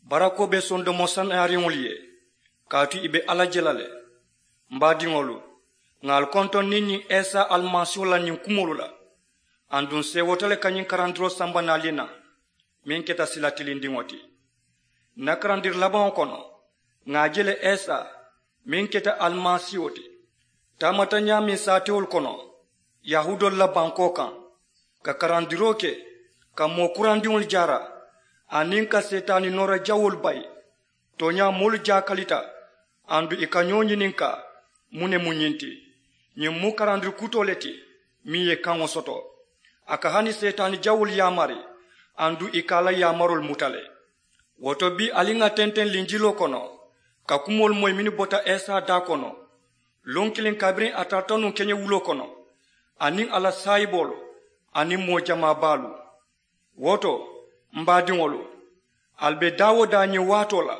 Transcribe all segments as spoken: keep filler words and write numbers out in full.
Barakoo be sondomo sanaariŋolu ye, kaatu ì be alla je la le. M baadiŋolu, ŋà ali kontoŋ niŋ ñiŋ isa alimasiiho la ñiŋ kumoolu la. Aduŋ seewoota le ka ñiŋ karandiroo samba naali naŋ, meŋ keta sila tilindiŋo ti. N na karandiri labaŋo kono, ŋà a je le isa, meŋ keta alimasiiho ti, taamata ñaameŋ saatewolu kono yahuudoolu la bankoo kaŋ, ka karandiroo ke, ka moo kurandiŋolu jaara, aniŋ ka seetaani noora jawoolu bayi. Tooñaa moolu jaakalita, aduŋ ì ka ñoo ñininkaa, muŋ ne mu ñiŋ ti? Ñiŋ mu karandiri kutoo le ti, meŋ ye kaŋo soto. A ka hani seetaani jawoolu yaamari, aduŋ ì ka a la yaamaroolu muta le. Wo to bii ali ŋà tenteŋ linjiloo kono, ka kumoolu moyi mennu bota isa daa kono, luŋ kiliŋ kabiriŋ a tarata nuŋ keñewuloo kono, aniŋ a la saayiboolu, aniŋ moo jamaa baalu. Wo to, m baadiŋolu, ali be daa-wo-daa ñiŋ waatoo la,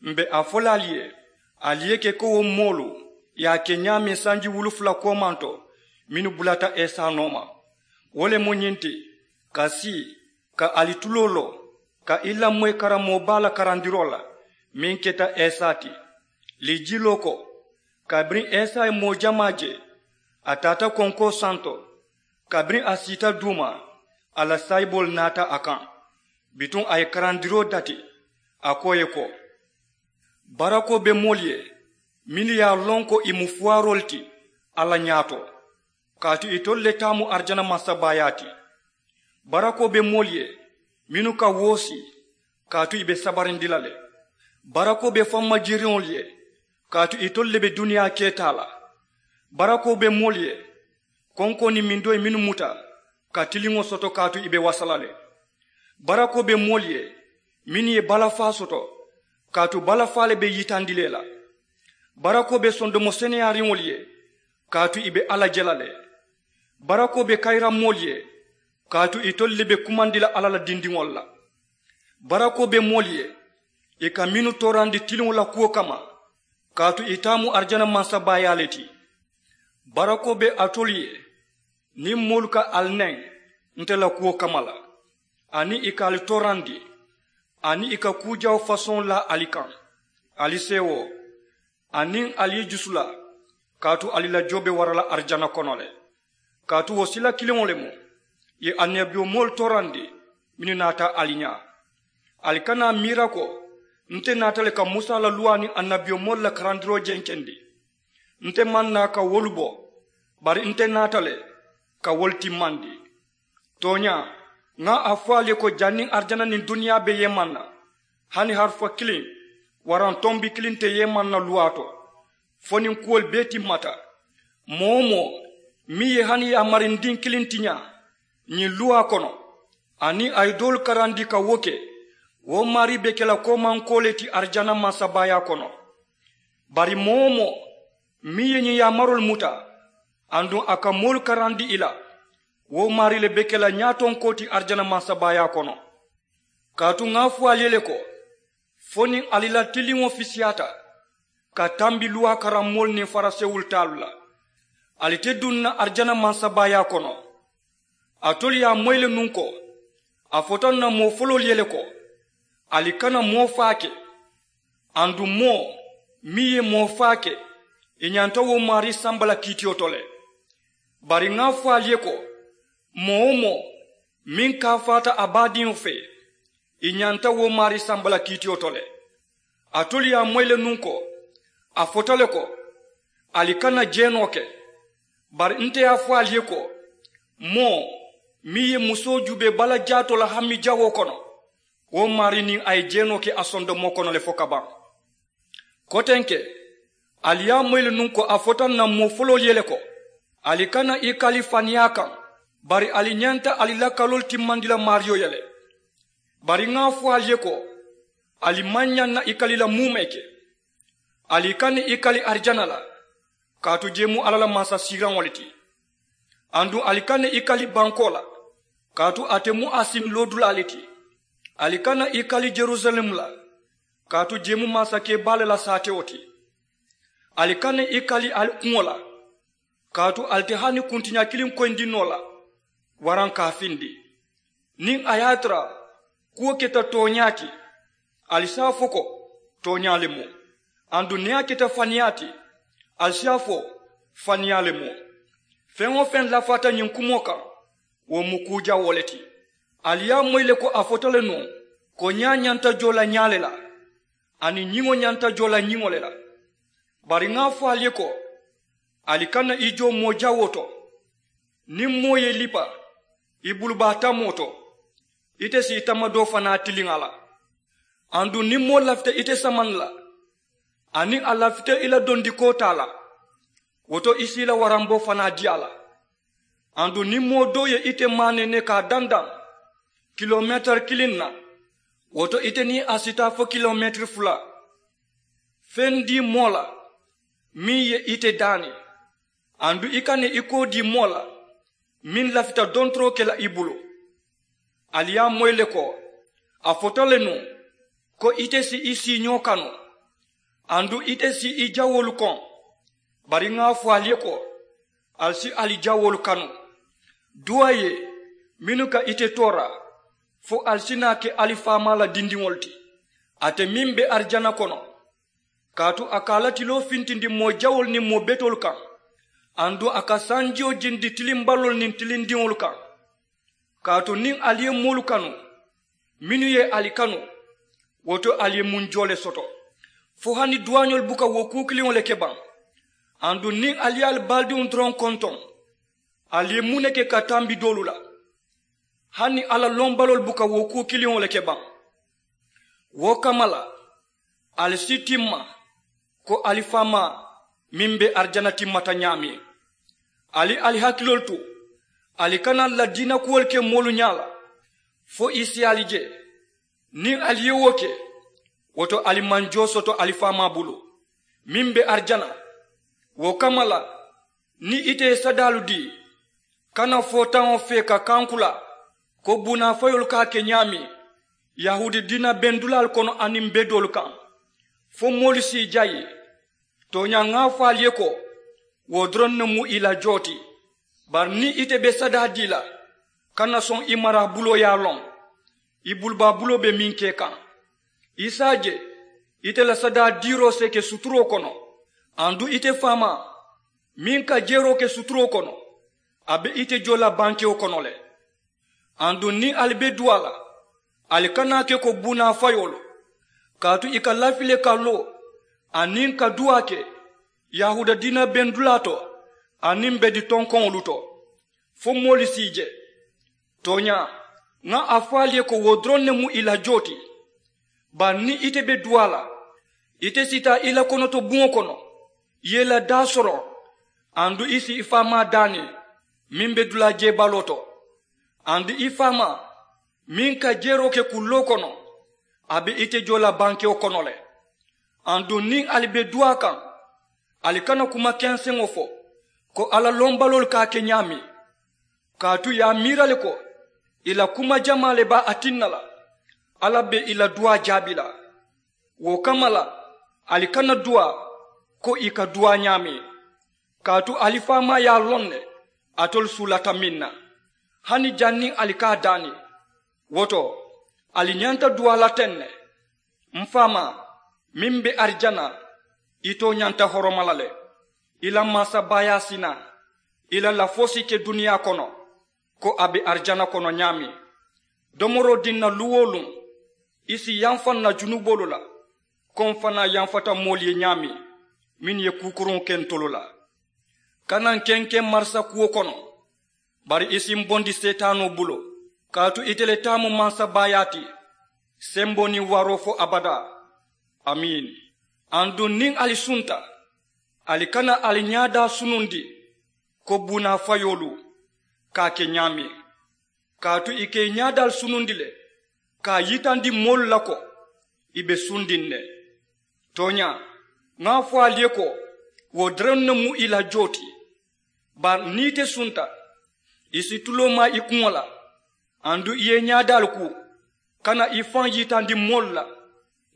m be a fo la ali ye, ali ye ke ko wo moolu ye a ke ñaameŋ sanji wulu fula koomanto, mennu bulata isa nooma. Wo le mu ñiŋ ti, ka sii, ka ali tuloo loo, ka i lamoyi karammoo baa la karandiroo la, meŋ keta isa ti. Linjiloo ko, kabiriŋ isa ye moo jamaa je, a taata konkoo santo. Kabiriŋ a siita duuma, a la saayiboolu naata a kaŋ. Bituŋ a ye karandiroo dati, a ko ì ye ko, barakoo be moolu ye, mennu ye a loŋ ko ì mu fuwaaroolu ti alla ñaato, kaatu itolu le taa mu arijana mansabaayaa ti. Barakoo be moolu ye, mennu ka woosi, kaatu ì be sabarindi la le. Barakoo be fammajiiriŋolu ye, kaatu itolu le be duniyaa keetaa la. Barakoo be moolu ye, konkoo niŋ mindoyi mennu muta, ka tiliŋo soto, kaatu ì be wasa la le. Barakoo be moolu ye, mennu ye balafaa soto, kaatu balafaa le be yitandi la ì la. Barakoo be sondomo seneyaariŋolu ye, kaatu ì be alla je la le. Barakoo be kayiramoolu ye, kaatu itolu le be kumandi la alla la dindiŋolu la. Barakoo be moolu ye, ì ka mennu toorandi tiliŋo la kuwo kamma, kaatu ì taa mu arijana mansabaayaa le ti. Barakoo be alitolu ye, niŋ moolu ka ali neŋ nte la kuwo kamma la, aniŋ ì ka ali toorandi, aniŋ ì ka kuu jawo fasoŋo laa ali kaŋ, ali seewoo, aniŋ ali i jusu la, kaatu ali la joo be wara la arijana kono le. Kaatu wo sila kiliŋo le mu, ì ye annabiyomoolu toorandi, mennu naata ali ñaa. Ali kana a miira ko nte naata le ka musa la luwaa niŋ annabiyomoolu la karandiroo jenkendi. Nte maŋ naa ka wolu bo, bari nte naata le ka wolu timmandi. Tooñaa, ŋa a fo ali ye ko janniŋ arijana niŋ duniyaa be yeemaŋ na, hani harufa kiliŋ waraŋ tombi kiliŋ te yeemaŋ na luwaa to, fo niŋ kuwolu bee timmata. Moo-wo-moo meŋ ye hani yaamarindiŋ kiliŋ tiñaa ñiŋ luwaa kono, aniŋ a ye doolu karandi ka wo ke, wo maarii be ke la koomankoo le ti arijana mansabaayaa kono. Bari moo-wo-moo meŋ ye ñiŋ yaamaroolu muta, aduŋ a ka moolu karandi ì la, wo maarii le be ke la ñaatonkoo ti arijana mansabaayaa kono. Kaatu ŋa a fo ali ye le ko, fo niŋ ali la tiliŋo fisiyaata ka tambi luwaa karammoolu niŋ farisewolu taalu la, ali te duŋ na arijana mansabaayaa kono. Alitolu ye a moyi le nuŋ ko, a fota ǹ na moo foloolu ye le ko, ali kana moo faake. Aduŋ moo meŋ ye moo faake, ì ñanta wo maarii samba la kiitiyo to le. Bari ŋa a fo ali ye ko, moo-wo-moo meŋ kaafaata a baadiŋo fee, ì ñanta wo maarii samba la kiitiyo to le. Alitolu ye a moyi le nuŋ ko, a fota le ko, ali kana jeenoo ke. Bari nte ye a fo ali ye ko, moo meŋ ye musoo juubee bala jaatoo la hami jawoo kono, wo maarii niŋ a ye jeenoo ke a sondomoo kono le fo ka baŋ. Kotenke, ali ye a moyi le nuŋ ko a fota ǹ na moo foloolu ye le ko, ali kana i kali faniyaa kaŋ, bari ali ñanta ali la kaloolu timmandi la maariyo ye le. Bari ŋa a fo ali ye ko, ali maŋ ñaŋ na i kali la muumee ke. Ali kana i kali arijana la, kaatu jee mu alla la mansasiiraŋo le ti. Aduŋ ali kana i kali bankoo la, kaatu ate mu a siŋ loodulaa le ti. Ali kana i kali jerusalem la, kaatu jee mu mansakee baa le la saatewo ti. Ali kana i kali ali kuŋo la, kaatu ali te hani kuntiña kiliŋ koyindi noo la, waraŋ ka a findi. Niŋ a ye a tara kuwo keta tooñaa ti, Ali si a fo ko, tooñaa le mu. Aduŋ niŋ a keta faniyaa ti, ali si a fo, faniyaa le mu. Feŋ-wo-feŋ lafaata ñiŋ kumoo kaŋ, wo mu kuu jawoo le ti. Ali ye a moyi le ko a fota le nuŋ, ko ñaa ñanta joo la ñaa le la, aniŋ ñiŋo ñanta joo la ñiŋo le la. Bari ŋa a fo ali ye ko, ali kana i joo moo jawoo to. Niŋ moo ye i lipa i bulubaa tamoo to, ite si i tamadoo fanaa tiliŋ a la. Aduŋ niŋ moo lafita ite samaŋ la, aniŋ a lafita i la dondikoo taa la, wo to i si i la waramboo fanaa dii a la. Aduŋ niŋ moo doo ye ite maanene ka a dandaŋ kilomeetiri kiliŋ na, wo to ite niŋ a si taa fo kilomeetiri fula. Feŋ dii moo la meŋ ye ite daani, aduŋ i kana i koo dii moo la meŋ lafita dontoroo ke la i bulu. Ali ye a moyi le ko, a fota le nuŋ, ko ite si i siiñoo kanu, aduŋ ite si i jawoolu koŋ. Bari ŋa a fo ali ye ko, ali si ali jawoolu kanu. Duwaaye mennu ka ite toora, fo ali si naa ke ali faamaa la dindiŋolu ti, ate meŋ be arijana kono. Kaatu a ka a la tiloo fintindi moo jawoolu niŋ moo betoolu kaŋ, aduŋ a ka sanjiyo jindi tilimbaloolu niŋ tilindiŋolu kaŋ. Kaatu niŋ ali ye moolu kanu mennu ye ali kanu, wo to ali ye muŋ joo le soto. Fo hani duwaañolu buka wo kuu kiliŋo le ke baŋ? Aduŋ niŋ ali ye ali baadiŋo doroŋ kontoŋ, ali ye muŋ ne ke ka tambi doolu la? Hani alla lombaloolu buka wo kuu kiliŋo le ke baŋ? Wo kamma la, ali si timma ko ali faamaa meŋ be arijana timmata ñaameŋ. Ali ali hakiloolu tu, ali kana ladiina kuwolu ke moolu ñaa la, fo i si ali je. Niŋ ali ye wo ke, wo to ali maŋ joo soto ali faamaa bulu meŋ be arijana. Wo kamma la, niŋ ite ye sadaalu dii, kana footaŋo fee ka kankula ko buunaa fayoolu ka a ke ñaameŋ yahuudi diina bendulaalu kono aniŋ bedoolu kaŋ, fo moolu si i jayi. Tooñaa ŋa a fo ali ye ko, wo doroŋ ne mu i la joo ti. Bari niŋ ite be sadaa dii la, kana soŋ i maraa buloo ye a loŋ i bulubaa buloo be meŋ ke kaŋ. I si a je ite la sadaa diiroo si ke suturoo kono, aduŋ ite faamaa meŋ ka jeeroo ke suturoo kono, a be ite joo la bankewo kono le. Aduŋ niŋ ali be duwaa la, ali kana a ke ko buunaa fayoolu, kaatu i ka lafi le ka loo aniŋ ka duwaa ke yahuuda diina bendulaa to aniŋ bedi tonkoŋolu to, fo moolu si i je. Tooñaa, ŋa a fo ali ye ko wo doroŋ ne mu i la joo ti. Bari niŋ ite be duwaa la, ite si taa i la konoto buŋo kono, i ye i la daa soroŋ, aduŋ i si i faamaa daani meŋ be dulaa jeebaloo to. Aduŋ i faamaa meŋ ka jeeroo ke kulloo kono, a be ite joo la bankewo kono le. Aduŋ niŋ ali be duwaa kaŋ, ali kana kuma kenseŋo fo ko alla lombaloolu ka a ke ñaameŋ. Kaatu i ye a miira le ko i la kuma jamaa le be a tinna la alla be i la duwaa jaabi la. Wo kamma la, ali kana duwaa ko i ka duwaa ñaameŋ. Kaatu ali faamaa ye a loŋ ne alitolu suulata meŋ na, hani janniŋ ali ka a daani. Wo to, ali ñanta duwaa la teŋ ne, m faamaa meŋ be arijana, i too ñanta horoma la le. I la mansabaayaa si naa, i la lafoo si ke duniyaa kono ko a be arijana kono ñaameŋ. Domoroo diŋ na luŋ-wo-luŋ, i si yamfa n na junuboolu la, ko m fanaa yamfata moolu ye ñaameŋ mennu ye kuukuruŋo ke ntolu la. Kana n kenkeŋ marisa kuwo kono, bari i si m bondi seetaanoo bulu. Kaatu ite le taa mu mansabaayaa ti, semboo niŋ waaroo fo abadaa. Amiin. Aduŋ niŋ ali sunta, ali kana ali ñaadaa sunundi ko buunaa fayoolu ka a ke ñaameŋ. Kaatu i ka i ñaadaalu sunundi le ka a yitandi moolu la ko i be sundiŋ ne. Tooñaa, ŋa a fo ali ye ko wo doroŋ ne mu i la joo ti. Bari niŋ ite sunta, i si tuloo maa i kuŋo la, aduŋ i ye i ñaadaalu kuu, kana i faŋ yitandi moolu la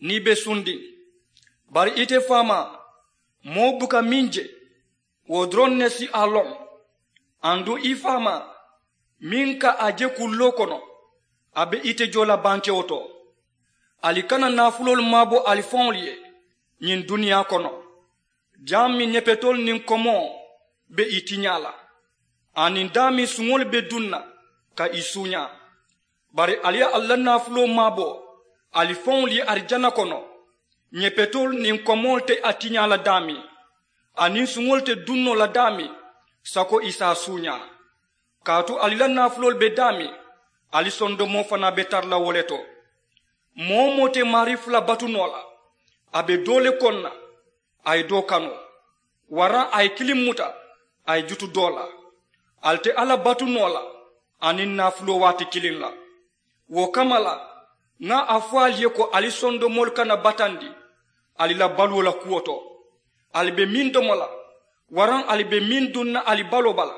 niŋ i be sundiŋ. Bari ite faamaa, moo buka meŋ je, wo doroŋ ne si a loŋ. Aduŋ i faamaa meŋ ka a je kulloo kono, a be ite joo la bankewo to. Ali kana naafuloolu maabo ali faŋolu ye ñiŋ duniyaa kono, jaameŋ ñepetoolu niŋ komoo be ì tiñaa la, aniŋ daameŋ suŋolu be duŋ na ka ì suuñaa. Bari ali ye ali la naafuloo maabo ali faŋolu ye arijana kono, ñepetoolu niŋ komoolu te a tiñaa la daameŋ, aniŋ suŋolu te duŋ noo la daameŋ sako ì si a suuñaa. Kaatu ali la naafuloolu be daameŋ, ali sondomoo fanaa be tara la wo le to. Moo-wo-moo te maarii fula batu noo la, a be doo le koŋ na, a ye doo kanu, waraŋ a ye kiliŋ muta, a ye jutu doo la. Ali te alla batu noo la aniŋ naafuloo waati kiliŋ la. Wo kamma la, ŋa a fo ali ye ko ali sondomoolu kana batandi ali la baluwo la kuwo to. Ali be meŋ domo la, waraŋ ali be meŋ duŋ na ali baloo bala,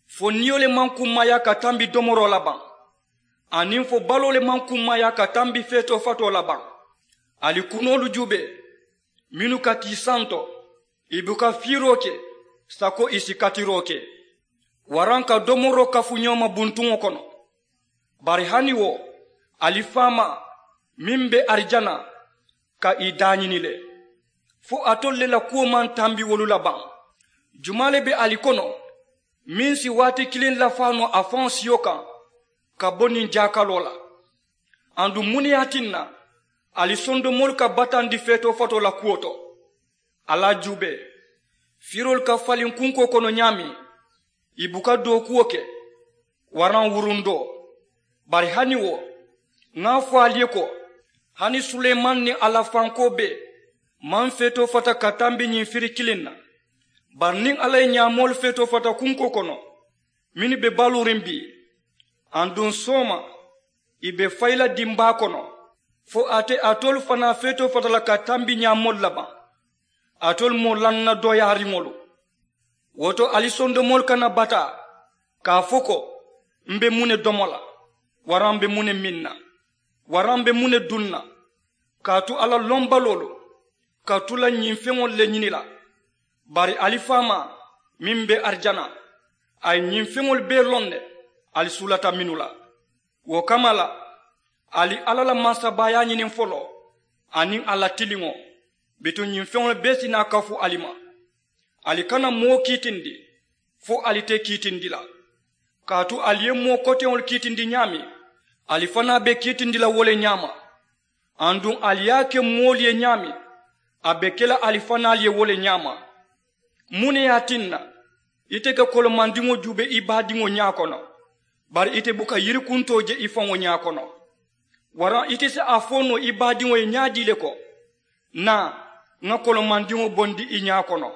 fo niyo le maŋ kummaayaa ka tambi domoroo la baŋ, aniŋ fo baloo le maŋ kummaayaa ka tambi feetoo fatoo la baŋ. Ali kunoolu juubee, mennu ka tii santo, ì buka fiiroo ke sako ì si katiroo ke, waraŋ ka domoroo kafu ñoo ma buntuŋo kono. Bari hani wo, ali faamaa meŋ be arijana ka ì daañini le, fo alitolu le la kuwo maŋ tambi wolu la baŋ? Jumaa le be ali kono meŋ si waati kiliŋ lafaa noo a faŋo siyo kaŋ ka bo niŋ jaakaloo la? Aduŋ muŋ ne ye a tinna ali sondomoolu ka batandi feetoo fatoo la kuwo to? Alla juubee, firoolu ka faliŋ kunkoo kono ñaameŋ, ì buka dookuwo ke, waraŋ wurundoo. Bari hani wo, ŋa a fo ali ye ko, hani suleemani niŋ a la fankoo bee maŋ feetoo fata ka tambi ñiŋ firi kiliŋ na. Bari niŋ alla ye ñaamoolu feetoo fata kunkoo kono mennu be baluuriŋ bii, aduŋ sooma ì be fayi la dimbaa kono, fo a te alitolu fanaa feetoo fata la ka tambi ñaamoolu la baŋ? Alitolu moo lanna dooyaariŋolu. Wo to ali sondomoolu kana bataa ka a fo ko, m be muŋ ne domo la, waraŋ m be muŋ ne miŋ na, waraŋ m be muŋ ne duŋ na? Kaatu alla lombaloolu ka tu la ñiŋ feŋolu le ñini la. Bari ali faamaa meŋ be arijana, a ye ñiŋ feŋolu bee loŋ ne ali suulata mennu la. Wo kamma la, ali alla la mansabaayaa ñiniŋ foloo aniŋ a la tiliŋo, bituŋ ñiŋ feŋolu bee si naa kafu ali ma. Ali kana moo kiitindi fo ali te kiitindi la. Kaatu ali ye moo koteŋolu kiitindi ñaameŋ, ali fanaa be kiitindi la wo le ñaama. Aduŋ ali ye a ke moolu ye ñaameŋ, a be ke la ali fanaalu ye wo le ñaama. Muŋ ne ye a tinna ite ka kolomandiŋo juubee i baadiŋo ñaa kono, bari ite buka yirikuntoo je i faŋo ñaa kono? Waraŋ ite si a fo noo i baadiŋo ye ñaadii le ko, naa, ŋa kolomandiŋo bondi i ñaa kono?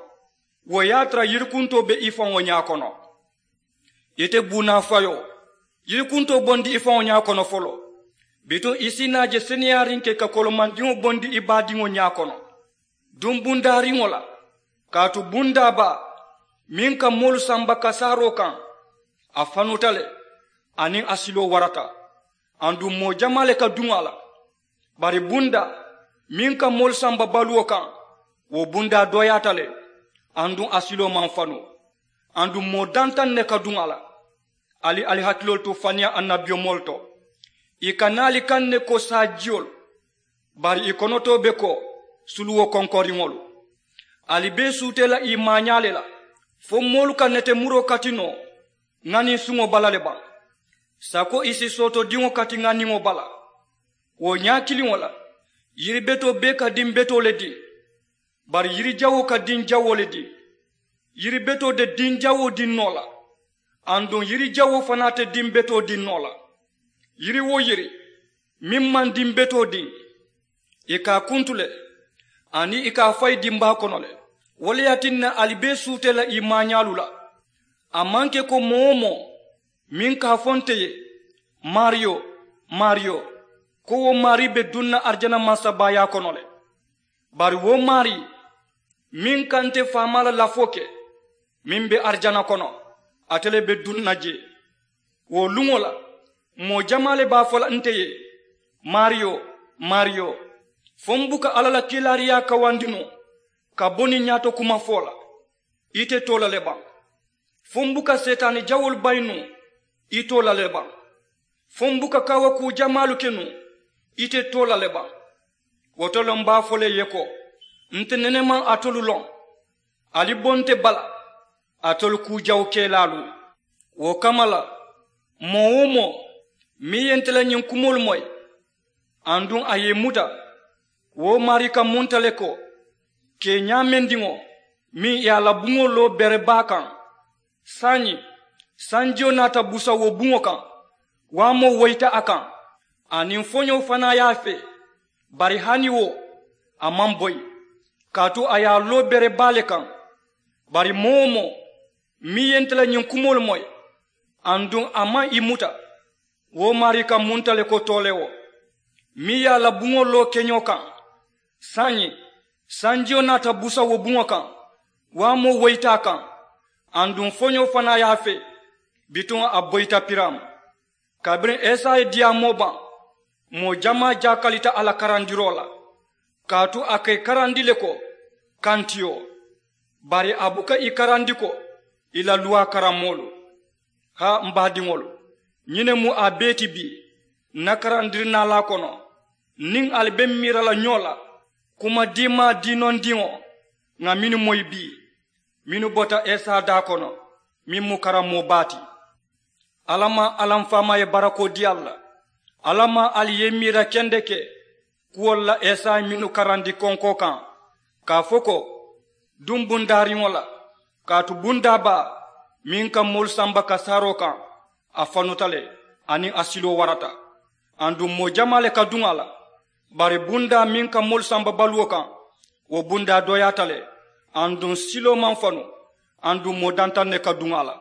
Wo ye a tara yirikuntoo be i faŋo ñaa kono. Ite buunaafayoo, yirikuntoo bondi i faŋo ñaa kono foloo, bituŋ i si naa je seneyaariŋ ke ka kolomandiŋo bondi i baadiŋo ñaa kono. Duŋ bundaariŋo la, kaatu bundaa baa meŋ ka moolu samba kasaaroo kaŋ, a fanuta le, aniŋ a siloo warata. Aduŋ moo jamaa le ka duŋ a la. Bari bundaa meŋ ka moolu samba baluwo kaŋ, wo bundaa dooyaata le, aduŋ a siloo maŋ fanu. Aduŋ moo dantaŋ ne ka duŋ a la. Ali ali hakiloolu tu faniyaa annabiyomoolu to. Ì ka naa ali kaŋ ne ko saajiyolu, bari ì konotoo be ko suluwo konkoriŋolu. Ali bee suutee la ì maañaa le la, fo moolu ka netemuroo kati noo ŋaniŋ suŋo bala le baŋ, sako ì si sootodiŋo kati ŋaniŋo bala. Wo ñaa kiliŋo la, yiri betoo bee ka diŋ betoo le diŋ, bari yiri jawoo ka diŋ jawoo le diŋ. Yiri betoo te diŋ jawoo diŋ noo la, aduŋ yiri jawoo fanaa te diŋ betoo diŋ noo la. Yiri-wo-yiri meŋ maŋ diŋ betoo diŋ, ì ka a kuntu le, aniŋ ì ka a fayi dimbaa kono le. Wo le ye a tinna ali bee suutee la ì maañaalu la. A maŋ ke ko moo-wo-moo meŋ ka a fo nte ye, maariyo, maariyo, ko wo maarii be duŋ na arijana mansabaayaa kono le. Bari wo maarii meŋ ka nte faamaa la lafoo ke, meŋ be arijana kono, ate le be duŋ na jee. Wo luŋo la, moo jamaa le be a fo la nte ye, maariyo, maariyo, fo m buka alla la kiilaariyaa kawandi noo ka bo niŋ ñaato kuma fo la? Ite too la le baŋ? Fo m buka seetaani jawoolu bayi nuŋ? Itoo la le baŋ? Fo m buka kaawakuu jamaalu ke nuŋ? Ite too la le baŋ. Wo to le m be a fo le ye ko, nte nene maŋ alitolu loŋ. Ali bonte bala, alitolu kuu jawukelaalu. Wo kamma la, moo-wo-moo meŋ ye nte la ñiŋ kumoolu moyi, aduŋ a ye ì muta, wo maarii ka munta le ko, ke ñaamendiŋo meŋ ye a la buŋo loo bere baa kaŋ. Saayiŋ sanjiyo naata busa wo buŋo kaŋ, waamoo woyita a kaŋ, aniŋ foñoo fanaa ye a fee. Bari hani wo, a maŋ boyi, kaatu a ye a loo bere baa le kaŋ. Bari moo-wo-moo meŋ ye nte la ñiŋ kumoolu moyi, aduŋ a maŋ ì muta, wo maarii ka munta le ko tooleewo meŋ ye a la buŋo loo keñoo kaŋ. Saayiŋ sanjiyo naata busa wo buŋo kaŋ, waamoo woyita a kaŋ, aduŋ foñoo fanaa ye a fee. Bituŋ a boyita piraama. Kabiriŋ esa ye diyaamoo baŋ, moo jamaa jaakalita a la karandiroo la, kaatu a ka ì karandi le ko kantiyo. Bari a buka ì karandi ko ì la luwaa karammoolu. Haa m baadiŋolu, ñiŋ ne mu a bee ti bii ǹ na karandiri naalaa kono. Niŋ ali be m miira la ñoo la kuma diimaa diinondiŋo, ŋà mennu moyi bii, mennu bota esa daa kono, meŋ mu karammoo baa ti. Alla maŋ alla m faamaa ye barakoo dii ali la. Alla maŋ ali ye i miira kendeke kuwolu la esa ye mennu karandi konkoo kaŋ, ka a fo ko, duŋ bundaariŋo la. Kaatu bundaa baa meŋ ka moolu samba kasaaroo kaŋ, a fanuta le, aniŋ a siloo warata, aduŋ moo jamaa le ka duŋ a la. Bari bundaa meŋ ka moolu samba baluwo kaŋ, wo bundaa dooyaata le, aduŋ siloo maŋ fanu, aduŋ moo dantaŋ ne ka duŋ a la.